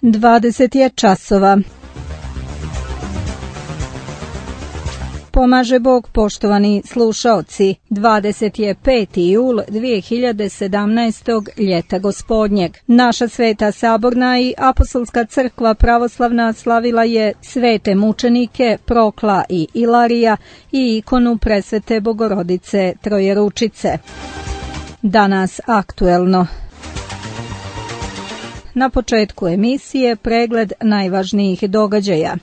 20 je časova. Pomaže Bog, poštovani slušaoci. 25. jul 2017. ljeta gospodnjeg. Naša Sveta Saborna i Apostolska crkva pravoslavna slavila je svete mučenike Prokla i Ilarija i ikonu Presvete Bogorodice Trojeručice. Danas aktuelno. Na početku emisije pregled najvažnijih događaja.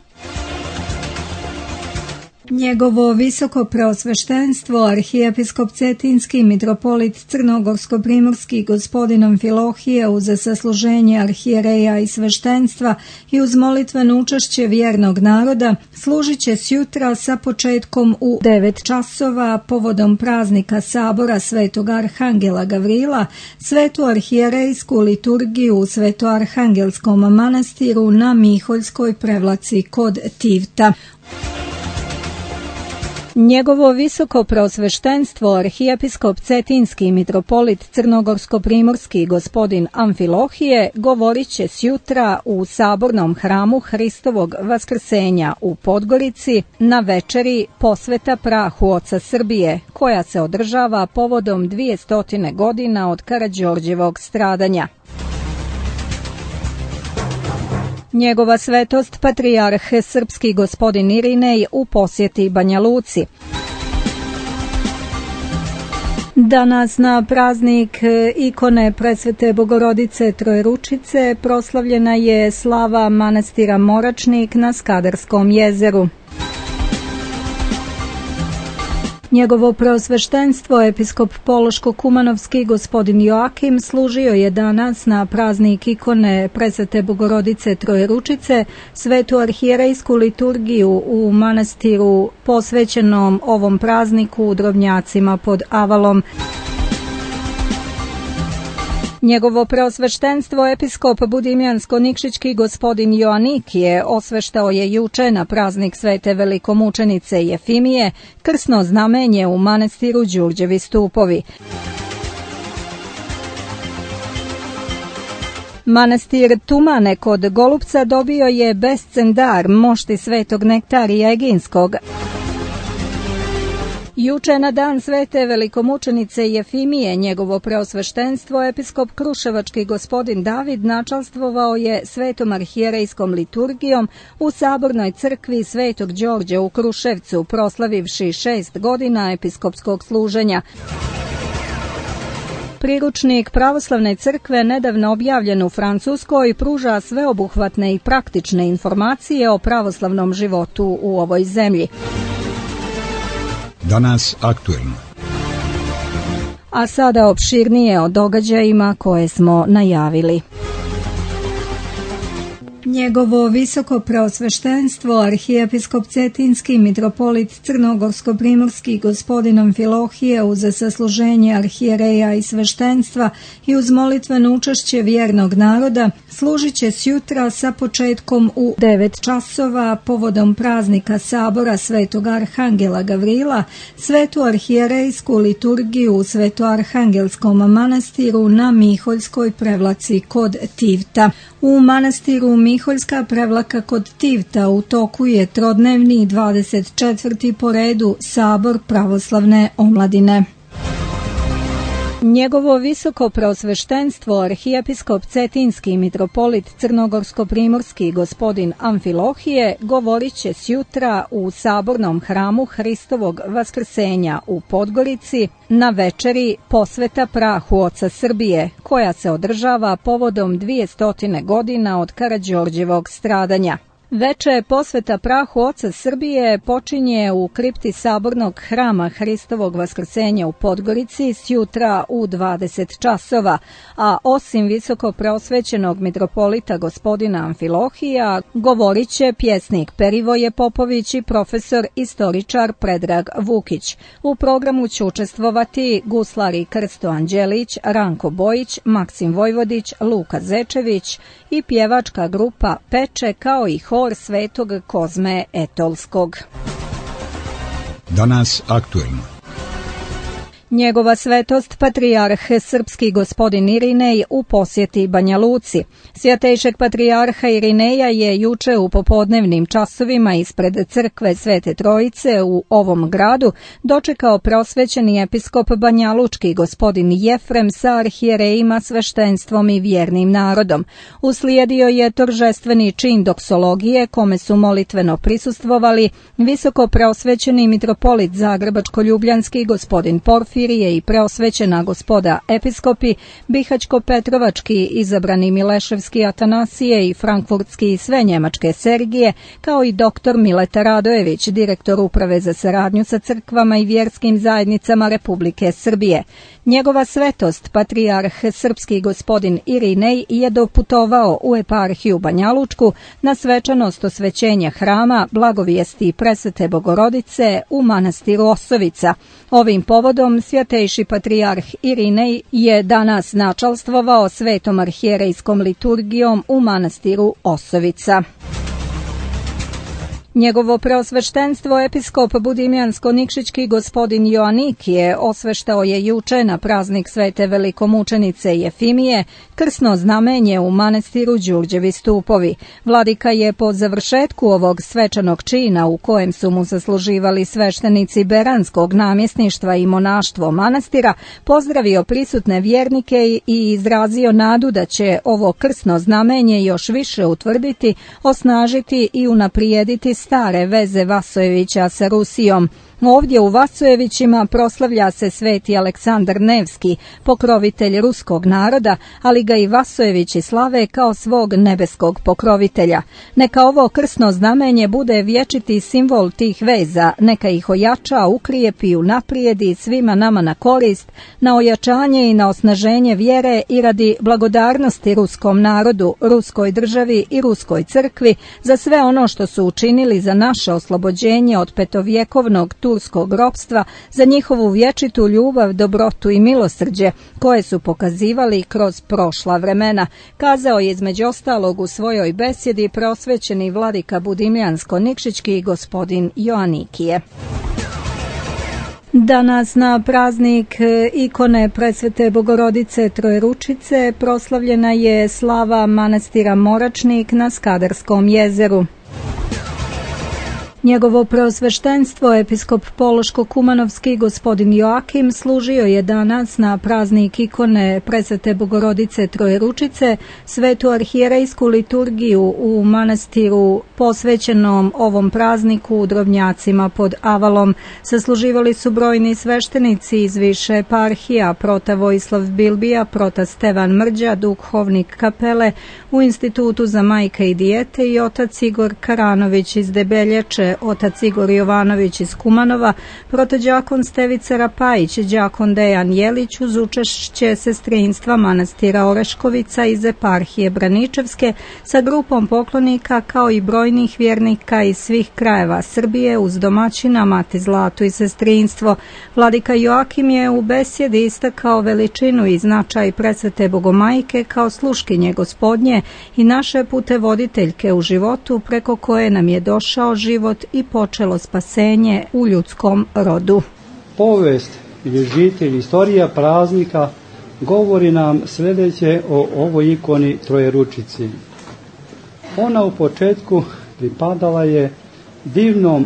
Njegovo visoko preosveštenstvo, arhijepiskop Cetinski mitropolit Crnogorsko-primorski gospodin Amfilohije uz sasluženje arhijereja i sveštenstva i uz molitveno učešće vjernog naroda služit će sjutra sa početkom u 9 časova povodom praznika sabora Svetog Arhangela Gavrila, svetu arhijerejsku liturgiju u Svetoarhangelskom manastiru na Miholjskoj prevlaci kod Tivta. Njegovo visoko preosveštenstvo, arhijepiskop Cetinski mitropolit Crnogorsko-primorski gospodin Amfilohije govorit će sjutra u sabornom hramu Hristovog Vaskrsenja u Podgorici na večeri posveta prahu Oca Srbije, koja se održava povodom 200 godina od Karađorđevog stradanja. Njegova svetost patrijarh srpski gospodin Irinej u posjeti Banja Luci. Danas na praznik ikone Presvete Bogorodice Trojeručice proslavljena je slava manastira Moračnik na Skadarskom jezeru. Njegovo preosveštenstvo, episkop Pološko-Kumanovski gospodin Joakim, služio je danas na praznik ikone Presvete Bogorodice Trojeručice svetu arhijerejsku liturgiju u manastiru posvećenom ovom prazniku u Drobnjacima pod Avalom. Njegovo preosveštenstvo, episkop Budimljansko-Nikšićki gospodin Joanikije, osveštao je juče na praznik svete velikomučenice Jefimije krsno znamenje u manastiru Đurđevi stupovi. Manastir Tumane kod Golupca dobio je bescendar mošti svetog Nektarija Eginskog. Juče na dan svete velikomučenice Jefimije njegovo preosveštenstvo episkop Kruševački gospodin David načalstvovao je svetom arhijerejskom liturgijom u sabornoj crkvi Svetog Đorđa u Kruševcu, proslavivši 6 godina episkopskog služenja. Priručnik pravoslavne crkve nedavno objavljen u Francuskoj pruža sveobuhvatne i praktične informacije o pravoslavnom životu u ovoj zemlji. Danas aktuelno. A sada opširnije o događajima koje smo najavili. Njegovo visoko preosveštenstvo, arhijepiskop Cetinski mitropolit Crnogorsko-primorski gospodin Amfilohije uz sasluženje arhijereja i sveštenstva i uz molitveno učešće vjernog naroda služit će sjutra sa početkom u 9 časova povodom praznika sabora Svetog Arhangela Gavrila, svetu arhijerejsku liturgiju u Svetoarhangelskom manastiru na Miholjskoj prevlaci kod Tivta. U manastiru Miholjska prevlaka kod Tivta u toku je trodnevni 24. po redu sabor pravoslavne omladine. Njegovo visoko preosveštenstvo, arhijepiskop Cetinski mitropolit Crnogorsko-primorski gospodin Amfilohije govorit će sjutra u sabornom hramu Hristovog Vaskrsenja u Podgorici na večeri posveta prahu Oca Srbije, koja se održava povodom 200 godina od Karađorđevog stradanja. Veče posveta prahu Oca Srbije počinje u kripti sabornog hrama Hristovog Vaskrsenja u Podgorici sjutra u 20 časova, a osim visoko preosvećenog mitropolita gospodina Amfilohija, govorit će pjesnik Perivoje Popović i profesor istoričar Predrag Vukić. U programu će učestvovati guslari Krsto Anđelić, Ranko Bojić, Maksim Vojvodić, Luka Zečević i pjevačka grupa Peče, kao i hor Svetog Kozme Etolskog. Danas aktuelno. Njegova svetost patrijarh srpski gospodin Irinej u posjeti Banja Luci. Svjatejšeg patrijarha Irineja je juče u popodnevnim časovima ispred crkve Svete Trojice u ovom gradu dočekao prosvećeni episkop banjalučki gospodin Jefrem sa arhijerejima, sveštenstvom i vjernim narodom. Uslijedio je toržestveni čin doksologije kome su molitveno prisustvovali visoko preosvećeni mitropolit Zagrebačko-ljubljanski gospodin Porfirije i preosvećena gospoda episkopi, Bihaćko-Petrovački izabrani Mileševski Atanasije i Frankfurtski i sve njemačke Sergije, kao i dr. Mileta Radojević, direktor uprave za saradnju sa crkvama i vjerskim zajednicama Republike Srbije. Njegova svetost, patrijarh srpski gospodin Irinej, je doputovao u eparhiju Banjalučku na svečanost osvećenja hrama Blagovijesti Presvete Bogorodice u manastiru Osovica. Ovim povodom svjatejši patrijarh Irinej je danas načalstvovao svetom arhijerejskom liturgijom u manastiru Osovica. Njegovo preosveštenstvo episkop budimljansko-nikšićki gospodin Joanikije osveštao je juče na praznik svete velikomučenice Jefimije krsno znamenje u manastiru Đurđevi stupovi. Vladika je po završetku ovog svečanog čina u kojem su mu zasluživali sveštenici Beranskog namjesništva i monaštvo manastira pozdravio prisutne vjernike i izrazio nadu da će ovo krsno znamenje još više utvrditi, osnažiti i unaprijediti stare veze Vasojevića sa Rusijom. Ovdje u Vasojevićima proslavlja se sveti Aleksandar Nevski, pokrovitelj ruskog naroda, ali ga i Vasojevići slave kao svog nebeskog pokrovitelja. Neka ovo krsno znamenje bude vječiti simbol tih veza, neka ih ojača, ukrijepi i unaprijedi svima nama na korist, na ojačanje i na osnaženje vjere i radi blagodarnosti ruskom narodu, ruskoj državi i ruskoj crkvi za sve ono što su učinili za naše oslobođenje od petovjekovnog turskog ropstva, za njihovu vječitu ljubav, dobrotu i milosrđe koje su pokazivali kroz prošla vremena, kazao je između ostalog u svojoj besjedi preosvećeni vladika budimljansko-nikšićki gospodin Joanikije. Danas na praznik ikone Presvete Bogorodice Trojeručice proslavljena je slava manastira Moračnik na Skadarskom jezeru. Njegovo preosveštenstvo, episkop Pološko-Kumanovski gospodin Joakim, služio je danas na praznik ikone Presvete Bogorodice Trojeručice svetu arhijerejsku liturgiju u manastiru posvećenom ovom prazniku u Drobnjacima pod Avalom. Sasluživali su brojni sveštenici iz više eparhija, prota Vojislav Bilbija, prota Stevan Mrđa, duhovnik kapele u Institutu za majke i dijete i otac Igor Karanović iz Debelječe, otac Igor Jovanović iz Kumanova, protođakon Stevica Rapajić, đakon Dejan Jelić uz učešće sestrinstva manastira Oreškovica iz eparhije Braničevske sa grupom poklonika kao i brojnih vjernika iz svih krajeva Srbije uz domaćina Mati Zlatu i sestrinstvo. Vladika Joakim je u besjedi istakao veličinu i značaj Presvete Bogomajke kao sluškinje Gospodnje i naše putevoditeljke u životu preko koje nam je došao život i počelo spasenje u ljudskom rodu. Povijest ili žitelj, istorija praznika govori nam sljedeće o ovoj ikoni Trojeručici. Ona u početku pripadala je divnom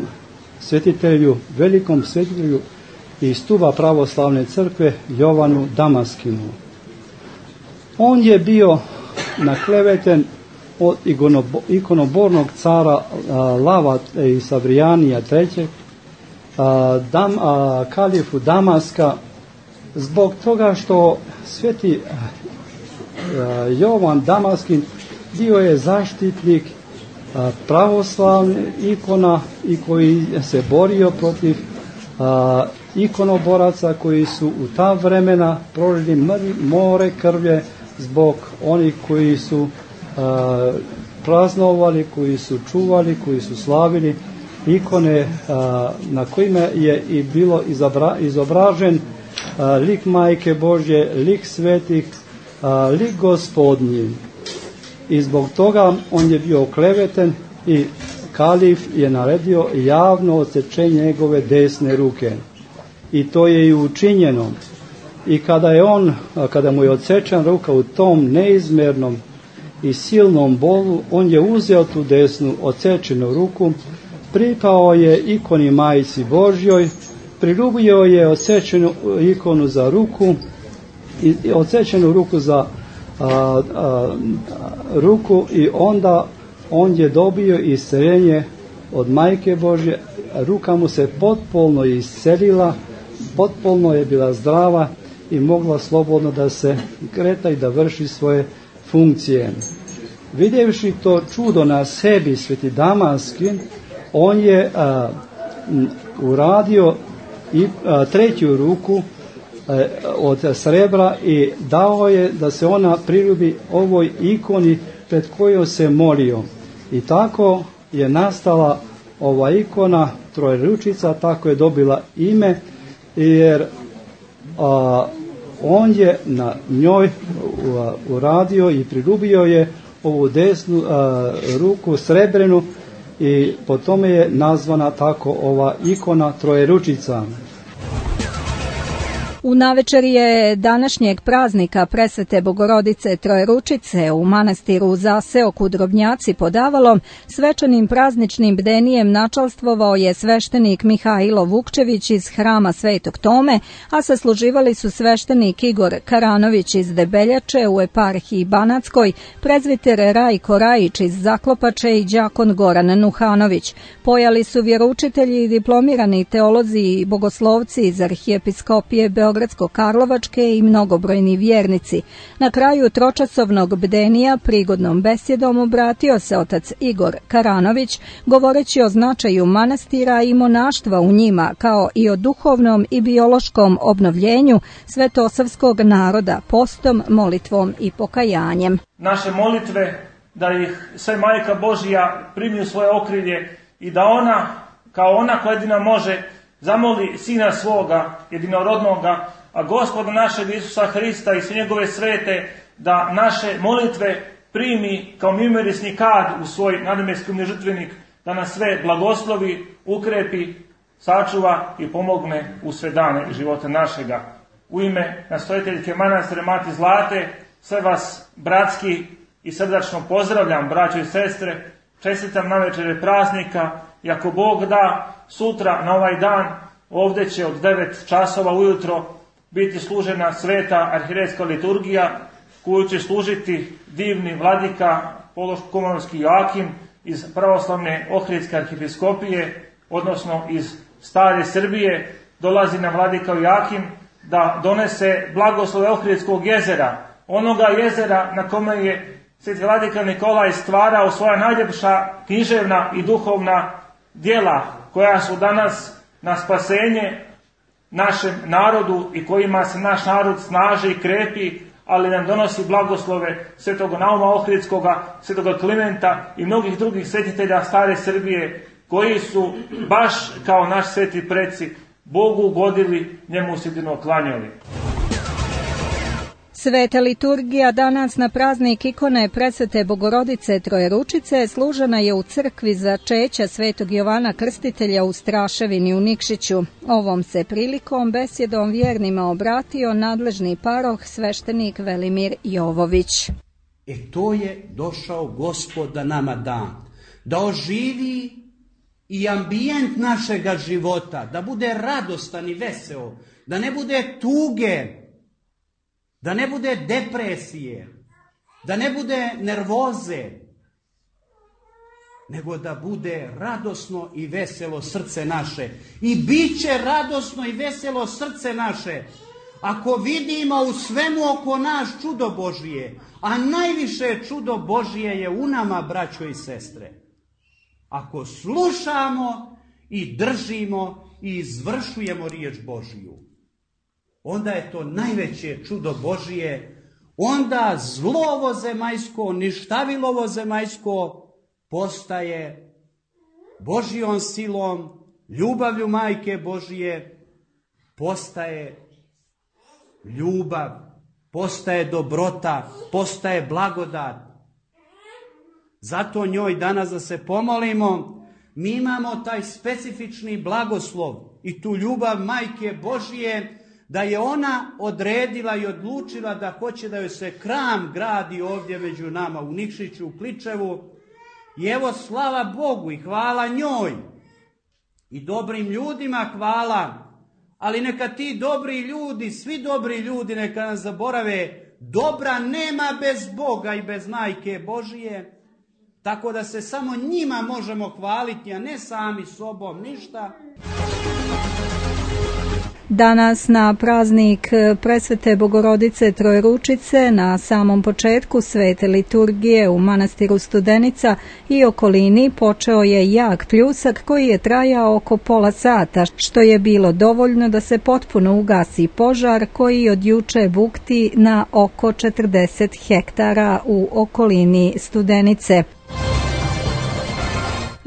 svetitelju, velikom svetitelju iz stuba pravoslavne crkve Jovanu Damaskinu. On je bio nakleveten od ikonobornog cara Lava i Savrijanija III, kalifu Damaska, zbog toga što sveti Jovan Damaskin bio je zaštitnik pravoslavne ikona i koji se borio protiv ikonoboraca koji su u ta vremena prolili more krvlje zbog onih koji su praznovali, koji su čuvali, koji su slavili ikone na kojima je i bilo izobražen lik Majke Božje, lik svetih, lik Gospodnji. I zbog toga on je bio okleveten i kalif je naredio javno odsečenje njegove desne ruke. i to je i učinjeno. I kada mu je odsečena ruka u tom neizmjernom i silnom bolu, on je uzeo tu desnu odsečenu ruku, pripao je ikoni Majici Božjoj, priljubio je odsečenu ikonu za ruku i odsečenu ruku za ruku, i onda on je dobio isceljenje od Majke Božje. Ruka mu se potpuno iscelila, potpuno je bila zdrava i mogla slobodno da se kreta i da vrši svoje funkcije. Vidjevši to čudo na sebi, sveti Damanski, on je uradio i treću ruku od srebra i dao je da se ona priljubi ovoj ikoni pred kojom se molio. I tako je nastala ova ikona Trojeručica, tako je dobila ime, jer on je na njoj uradio i priljubio je ovu desnu ruku srebrenu, i po tome je nazvana tako ova ikona Trojeručica. U navečerje današnjeg praznika Presvete Bogorodice Trojeručice u manastiru Zaseok u Drobnjaci pod Avalom svečanim prazničnim bdenijem načalstvovao je sveštenik Mihajlo Vukčević iz hrama Svetog Tome, a sasluživali su sveštenik Igor Karanović iz Debeljače u eparhiji Banatskoj, prezviter Rajko Rajić iz Zaklopače i đakon Goran Nuhanović. Pojali su vjeroučitelji i diplomirani teolozi i bogoslovci iz arhijepiskopije Beogradsko-Karlovačke i mnogobrojni vjernici. Na kraju tročasovnog bdenija prigodnom besjedom obratio se otac Igor Karanović, govoreći o značaju manastira i monaštva u njima, kao i o duhovnom i biološkom obnovljenju svetosavskog naroda postom, molitvom i pokajanjem. Naše molitve, da ih sve Majka Božja primi u svoje okrilje i da ona, kao ona koja jedina može, zamoli Sina svoga jedinorodnoga, a Gospoda našeg Isusa Hrista i sve njegove svete, da naše molitve primi kao mimorisni kad u svoj nadnebeski žrtvenik, da nas sve blagoslovi, ukrepi, sačuva i pomogne u sve dane života našega. U ime nastojiteljke manastira Mati Zlate, sve vas bratski i srdačno pozdravljam, braćo i sestre, čestitam navečer praznika, i ako Bog da, sutra na ovaj dan ovdje će od 9 časova ujutro biti služena sveta arhijerejska liturgija, koju će služiti divni vladika Pološko-Komorovski Joakim iz pravoslavne Ohridske arhijepiskopije, odnosno iz stare Srbije. Dolazi nam vladika Joakim da donese blagoslove Ohridskog jezera, onoga jezera na kome je sveti vladika Nikolaj stvarao svoja najljepša književna i duhovna djela, koja su danas na spasenje našem narodu i kojima se naš narod snaži i krepi, ali nam donosi blagoslove svetog Nauma Ohridskoga, svetoga Klimenta i mnogih drugih svetitelja stare Srbije, koji su baš kao naš sveti preci Bogu ugodili, njemu se jedino klanjali. Sveta liturgija danas na praznik ikone Presvete Bogorodice Trojeručice služena je u crkvi začeća Svetog Jovana Krstitelja u Straševini u Nikšiću. Ovom se prilikom besjedom vjernima obratio nadležni paroh sveštenik Velimir Jovović. To je došao Gospod da nama da oživi i ambijent našega života, da bude radostan i veseo, da ne bude tuge, da ne bude depresije, da ne bude nervoze, nego da bude radosno i veselo srce naše. I bit će radosno i veselo srce naše ako vidimo u svemu oko nas čudo Božije, a najviše čudo Božije je u nama, braćo i sestre. Ako slušamo i držimo i izvršujemo riječ Božiju, onda je to najveće čudo Božije. Onda zlo ovo zemaljsko, ništavilo ovo zemaljsko postaje Božjom silom, ljubavlju Majke Božije, postaje ljubav, postaje dobrota, postaje blagodat. Zato njoj danas da se pomolimo, mi imamo taj specifični blagoslov i tu ljubav Majke Božije, da je ona odredila i odlučila da hoće da joj se hram gradi ovdje među nama u Nikšiću, u Kličevu. I evo, slava Bogu i hvala njoj i dobrim ljudima hvala, ali neka ti dobri ljudi, svi dobri ljudi neka nas zaborave, dobra nema bez Boga i bez Majke Božije, tako da se samo njima možemo hvaliti, a ne sami sobom ništa. Danas na praznik Presvete Bogorodice Trojeručice na samom početku svete liturgije u manastiru Studenica i okolini počeo je jak pljusak koji je trajao oko pola sata, što je bilo dovoljno da se potpuno ugasi požar koji od juče bukti na oko 40 hektara u okolini Studenice.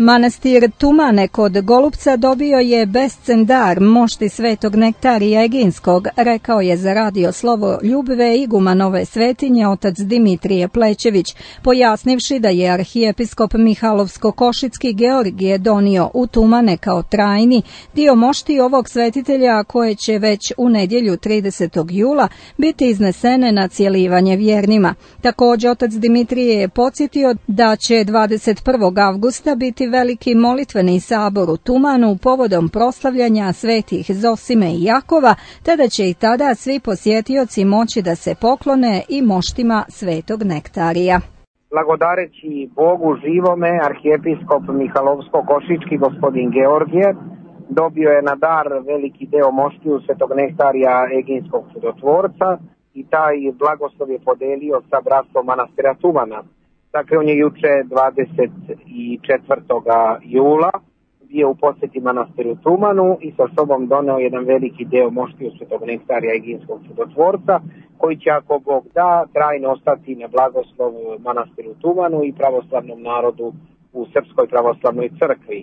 Manastir Tumane kod Golupca dobio je bescen dar mošti svetog Nektarija Eginskog, rekao je za Radio Slovo Ljubve iguman ove svetinje otac Dimitrije Plećević, pojasnivši da je arhijepiskop Mihalovsko-Košicki Georgije donio u Tumane kao trajni dio mošti ovog svetitelja koje će već u nedjelju 30. jula biti iznesene na cjelivanje vjernima. Također otac Dimitrije je podsjetio da će 21. avgusta biti veliki molitveni sabor u Tumanu povodom proslavljanja svetih Zosime i Jakova, te da će i tada svi posjetioci moći da se poklone i moštima svetog Nektarija. Blagodareći Bogu živome, arhijepiskop Mihalovsko-Košički gospodin Georgije dobio je na dar veliki deo moštiju svetog Nektarija Eginskog čudotvorca i taj blagoslov je podelio sa bratstvom manastira Tumana. Dakle, on je juče 24. jula bio u posjeti manastiru Tumanu i sa sobom doneo jedan veliki deo moštiju svetog Nektarija Eginskog čudotvorca, koji će, ako Bog da, trajno ostati na blagoslov manastiru Tumanu i pravoslavnom narodu u Srpskoj pravoslavnoj crkvi.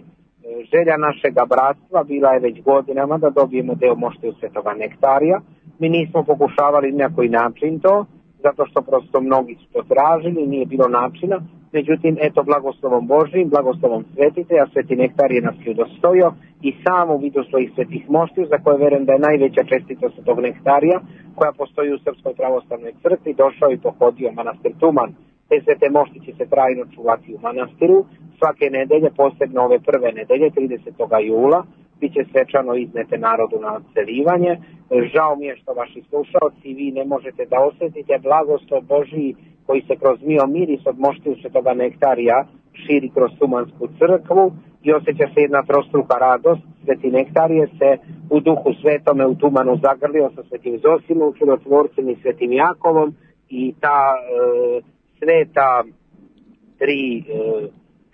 Želja našega bratstva bila je već godinama da dobijemo deo moštiju svetoga Nektarija. Mi nismo pokušavali na koji način to, zato što prosto mnogi su to tražili, nije bilo načina. Međutim, eto, blagoslovom Božijim, blagoslovom svetitelja, sveti Nektarije nas je udostojio i sam u vidu svojih svetih moštiju, za koje verujem da je najveća čestitost tog Nektarija, koja postoji u Srpskoj pravoslavnoj crkvi, došao i pohodio manastir Tuman. Te svete mošti će se trajno čuvati u manastiru. Svake nedelje, posebno ove prve nedelje, 30. jula, bit će svečano iznete narodu na odselivanje. Žao mi je što vaši slušalci, vi ne možete da osjetite blagoslov Božiji koji se kroz mio miris od moštiju svetoga Nektarija širi kroz Tumansku crkvu i osjeća se jedna trostruka radost. Sveti Nektarije se u duhu svetome u Tumanu zagrlio sa svetim Zosimom, čudotvorcem i svetim Jakovom i ta sveta tri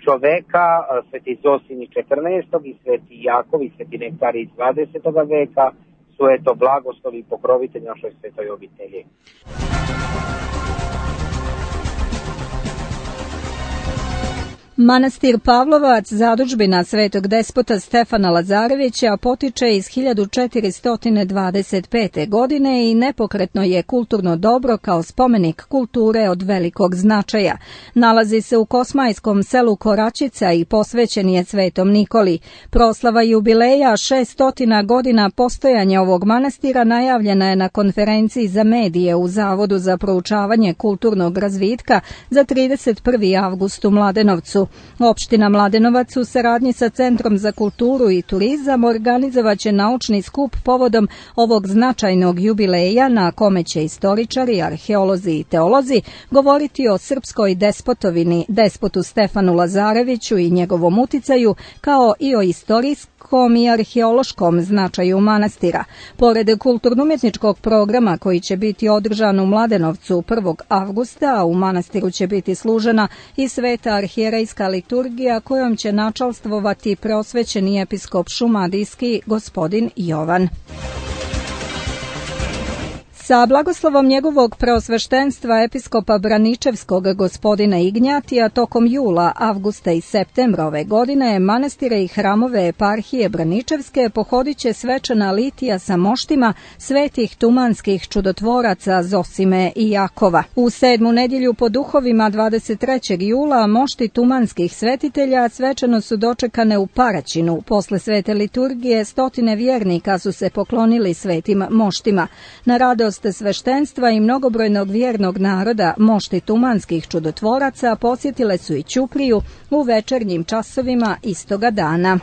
čoveka, sveti Zosim iz 14. i sveti Jakov i sveti Nektarij iz 20. veka su eto blagoslovi i pokrovitelj našoj svetoj obitelji. Manastir Pavlovac, zadužbina svetog despota Stefana Lazarevića, potiče iz 1425. godine i nepokretno je kulturno dobro kao spomenik kulture od velikog značaja. Nalazi se u kosmajskom selu Koračica i posvećen je svetom Nikoli. Proslava jubileja 600 godina postojanja ovog manastira najavljena je na konferenciji za medije u Zavodu za proučavanje kulturnog razvitka za 31. avgust u Mladenovcu. Opština Mladenovac u saradnji sa Centrom za kulturu i turizam organizovaće naučni skup povodom ovog značajnog jubileja na kome će istoričari, arheolozi i teolozi govoriti o srpskoj despotovini, despotu Stefanu Lazareviću i njegovom uticaju, kao i o istorijskom i arheološkom značaju manastira. Pored kulturno-umjetničkog programa koji će biti održan u Mladenovcu 1. avgusta, u manastiru će biti služena i sveta arhijerejska liturgija kojom će načalstvovati preosvećeni episkop šumadijski gospodin Jovan. Sa blagoslovom njegovog preosveštenstva episkopa Braničevskog gospodina Ignjatija tokom jula, avgusta i septembra ove godine manastire i hramove eparhije Braničevske pohodit će svečana litija sa moštima svetih tumanskih čudotvoraca Zosime i Jakova. U 7. nedjelju po duhovima 23. jula mošti tumanskih svetitelja svečano su dočekane u Paraćinu. Posle svete liturgije stotine vjernika su se poklonili svetim moštima. Na radost sveštenstva i mnogobrojnog vjernog naroda mošti tumanskih čudotvoraca posjetile su i Ćupriju u večernjim časovima istoga dana.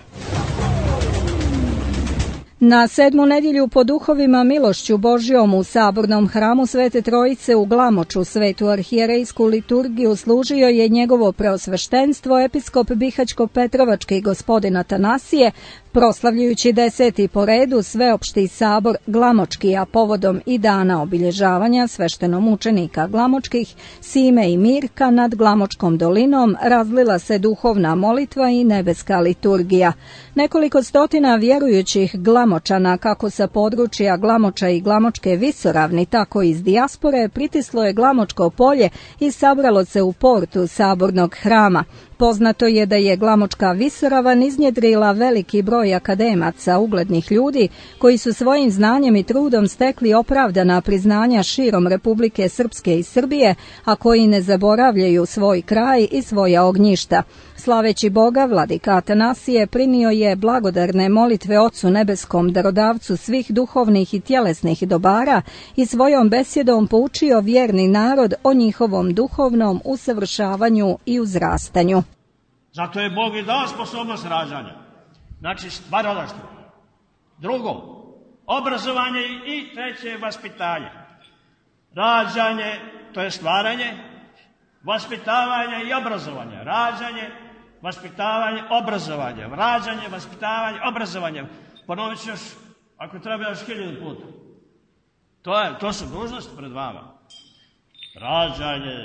Na 7. nedjelju po duhovima milošću Božjom u Sabornom hramu Svete Trojice u Glamoču svetu arhijerejsku liturgiju služio je njegovo preosveštenstvo episkop Bihaćko-Petrovački gospodin Atanasije, proslavljujući 10. po redu sveopšti sabor Glamočki, a povodom i dana obilježavanja sveštenomučenika Glamočkih, Sime i Mirka nad Glamočkom dolinom razlila se duhovna molitva i nebeska liturgija. Nekoliko stotina vjerujućih Glamočana, kako sa područja Glamoča i Glamočke visoravni, tako i iz dijaspore, pritislo je Glamočko polje i sabralo se u portu Sabornog hrama. Poznato je da je Glamočka visoravan iznjedrila veliki broj akademaca, uglednih ljudi, koji su svojim znanjem i trudom stekli opravdana priznanja širom Republike Srpske i Srbije, a koji ne zaboravljaju svoj kraj i svoja ognjišta. Slaveći Boga, vladika Atanasije prinio je blagodarne molitve Ocu nebeskom, darodavcu svih duhovnih i tjelesnih dobara, i svojom besjedom poučio vjerni narod o njihovom duhovnom usavršavanju i uzrastanju. Zato je Bog i dao sposobnost rađanja. Znači, stvaralaštvo. Drugo, obrazovanje i treće, vaspitanje. Rađanje, to je stvaranje, vaspitavanje i obrazovanje. Rađanje, vaspitavanje, obrazovanje. Rađanje, vaspitavanje, obrazovanje. Ponovit ću još, ako treba još 1000 puta. To su dužnosti pred vama. Rađanje,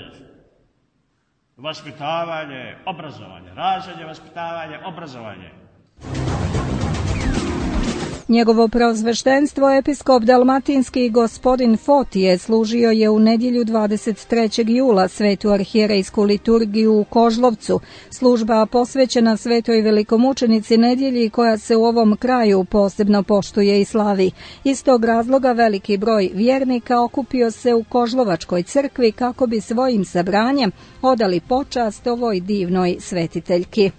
vaspitavanje, obrazovanje. Rađanje, vaspitavanje, obrazovanje. Njegovo preosveštenstvo episkop dalmatinski gospodin Fotije služio je u nedjelju 23. jula svetu arhijerejsku liturgiju u Kožlovcu, služba posvećena svetoj velikomučenici nedjelji koja se u ovom kraju posebno poštuje i slavi. Iz tog razloga veliki broj vjernika okupio se u Kožlovačkoj crkvi kako bi svojim sabranjem odali počast ovoj divnoj svetiteljki.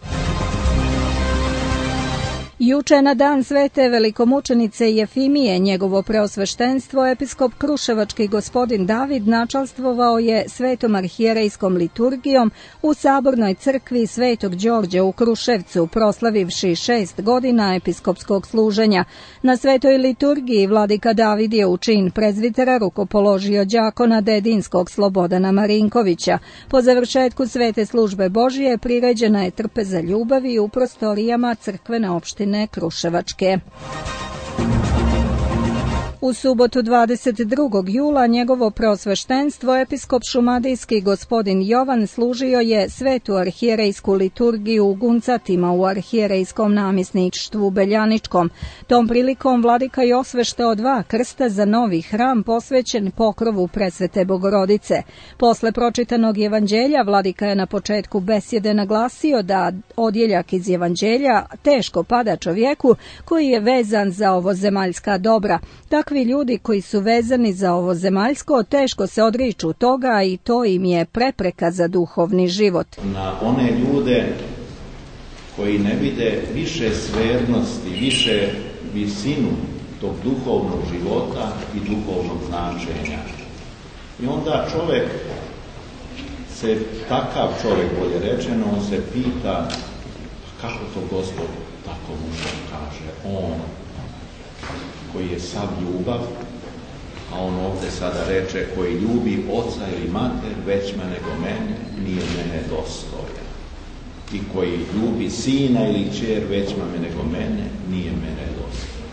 Juče na dan svete velikomučenice Jefimije njegovo preosveštenstvo episkop Kruševački gospodin David načalstvovao je svetom arhijerejskom liturgijom u Sabornoj crkvi Svetog Đorđa u Kruševcu, proslavivši 6 godina episkopskog služenja. Na svetoj liturgiji vladika David je u čin prezvitera rukopoložio đakona Dedinskog Slobodana Marinkovića. Po završetku svete službe Božije priređena je trpeza ljubavi u prostorijama crkvene opštine Kruševačke. U subotu 22. jula njegovo preosveštenstvo episkop šumadijski gospodin Jovan služio je svetu arhijerejsku liturgiju u Guncatima u arhijerejskom namjesništvu Beljaničkom. Tom prilikom vladika je osveštao 2 krsta za novi hram posvećen pokrovu Presvete Bogorodice. Posle pročitanog evanđelja vladika je na početku besjede naglasio da odjeljak iz evanđelja teško pada čovjeku koji je vezan za ovozemaljska dobra. Takvi ljudi koji su vezani za ovo zemaljsko teško se odriču toga i to im je prepreka za duhovni život. Na one ljude koji ne vide više svernosti, više visinu tog duhovnog života i duhovnog značenja. I onda takav čovjek, bolje rečeno, on se pita kako to Gospod tako može kaže, on koji je sav ljubav, a on ovdje sada reče koji ljubi oca ili mater većma nego mene, nije mene dostojan. I koji ljubi sina ili kćer većma nego mene, nije mene dostojan.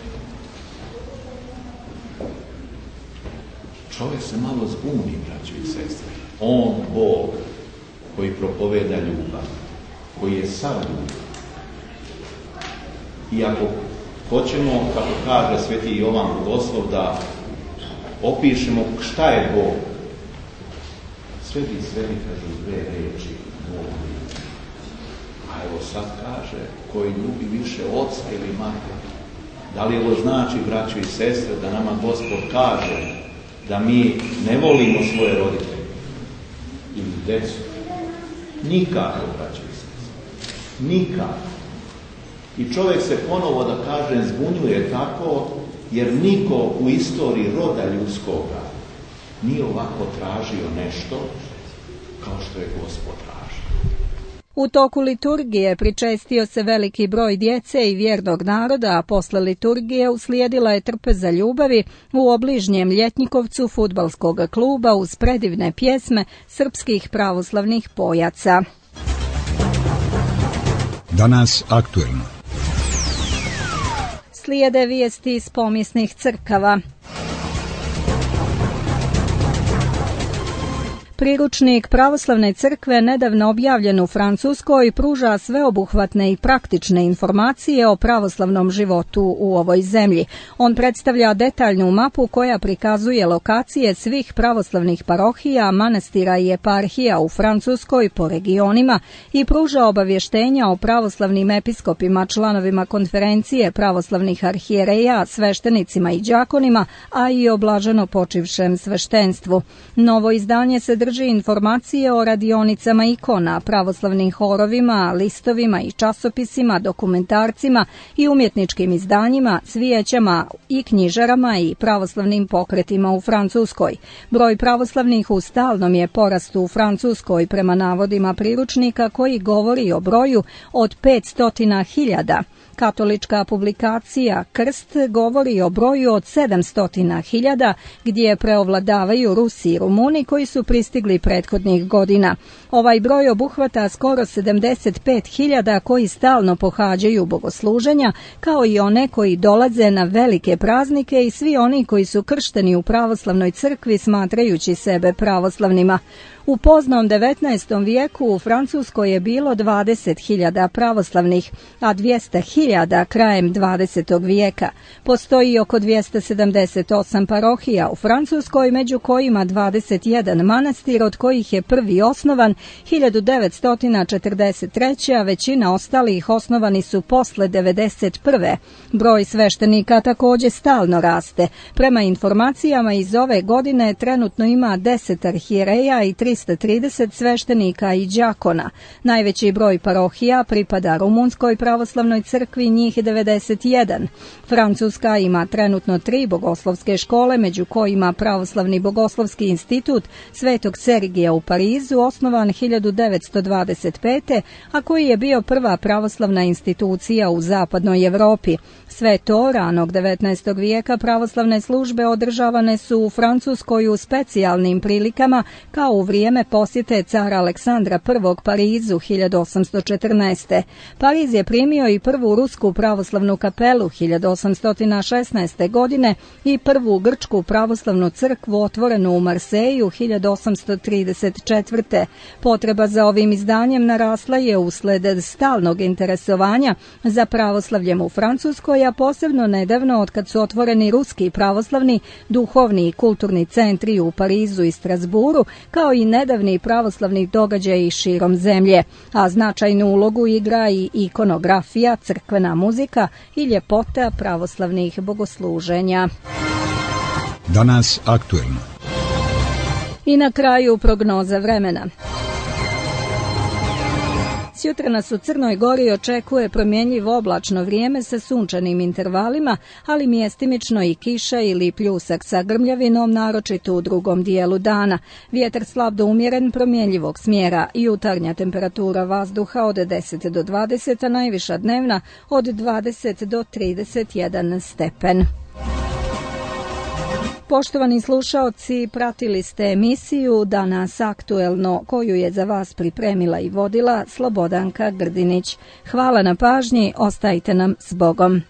Čovjek se malo zbuni, braćo i sestre. On, Bog, koji propoveda ljubav, koji je sav ljubav. I ako hoćemo, kako kaže sveti Jovan Bogoslov, da opišemo šta je Bog. Sve bi kažu dve reči, Bog ljubi. A evo sad kaže, koji ljubi više oca ili mater. Da li ovo znači, braćo i sestre, da nama Gospod kaže da mi ne volimo svoje roditelje ili decu? Nikako, braćo i sestre. Nikako. I čovjek se ponovo, da kažem, zbunjuje tako, jer niko u istoriji roda ljudskoga nije ovako tražio nešto kao što je Gospod tražio. U toku liturgije pričestio se veliki broj djece i vjernog naroda, a posle liturgije uslijedila je trpeza ljubavi u obližnjem Ljetnikovcu fudbalskog kluba uz predivne pjesme srpskih pravoslavnih pojaca. Danas aktuelno. Slijede vijesti iz pomisnih crkava. Priručnik pravoslavne crkve nedavno objavljen u Francuskoj pruža sveobuhvatne i praktične informacije o pravoslavnom životu u ovoj zemlji. On predstavlja detaljnu mapu koja prikazuje lokacije svih pravoslavnih parohija, manastira i eparhija u Francuskoj po regionima i pruža obavještenja o pravoslavnim episkopima, članovima konferencije pravoslavnih arhijereja, sveštenicima i đakonima, a i o blaženo počivšem sveštenstvu. Novo izdanje se drži informacije o radionicama ikona, pravoslavnim horovima, listovima i časopisima, dokumentarcima i umjetničkim izdanjima, cvijećama i knjižarama i pravoslavnim pokretima u Francuskoj. Broj pravoslavnih u stalnom je porastu u Francuskoj prema navodima priručnika koji govori o broju od 500.000. Katolička publikacija Krst govori o broju od 700.000, gdje preovladavaju Rusi i Rumuni koji su pristigli prethodnih godina. Ovaj broj obuhvata skoro 75.000 koji stalno pohađaju bogosluženja, kao i one koji dolaze na velike praznike i svi oni koji su kršteni u pravoslavnoj crkvi smatrajući sebe pravoslavnima. U poznom 19. vijeku u Francuskoj je bilo 20.000 pravoslavnih, a 200.000 krajem 20. vijeka. Postoji oko 278 parohija u Francuskoj, među kojima 21 manastir, od kojih je prvi osnovan 1943. a većina ostalih osnovani su posle 1991. Broj sveštenika također stalno raste. Prema informacijama iz ove godine trenutno ima 10 arhijereja i 330 sveštenika i đakona. Najveći broj parohija pripada Rumunskoj pravoslavnoj crkvi, njih 91. Francuska ima trenutno 3 bogoslovske škole, među kojima Pravoslavni bogoslovski institut Svetog Sergija u Parizu, osnovan 1925. a koji je bio prva pravoslavna institucija u zapadnoj Evropi. Sve to ranog 19. vijeka pravoslavne službe održavane su u Francuskoj u specijalnim prilikama, kao u vrijeme posjete cara Aleksandra I Parizu 1814. Pariz je primio i prvu rusku pravoslavnu kapelu 1816. godine i prvu grčku pravoslavnu crkvu otvorenu u Marseju 1834. Potreba za ovim izdanjem narasla je usled stalnog interesovanja za pravoslavljem u Francuskoj, a posebno nedavno otkad su otvoreni ruski pravoslavni, duhovni i kulturni centri u Parizu i Strasburu, kao i nedavni pravoslavni događaji širom zemlje, a značajnu ulogu igra i ikonografija, crkvena muzika i ljepota pravoslavnih bogosluženja. Danas aktuelno. I na kraju prognoza vremena. Sutra nas u Crnoj Gori očekuje promjenjivo oblačno vrijeme sa sunčanim intervalima, ali mjestimično i kiša ili pljusak sa grmljavinom, naročito u drugom dijelu dana. Vjetar slab do umjeren promjenjivog smjera, jutarnja temperatura vazduha od 10 do 20, a najviša dnevna od 20 do 31 stepen. Poštovani slušaoci, pratili ste emisiju Danas aktuelno, koju je za vas pripremila i vodila Slobodanka Grdinić. Hvala na pažnji, ostajte nam s Bogom.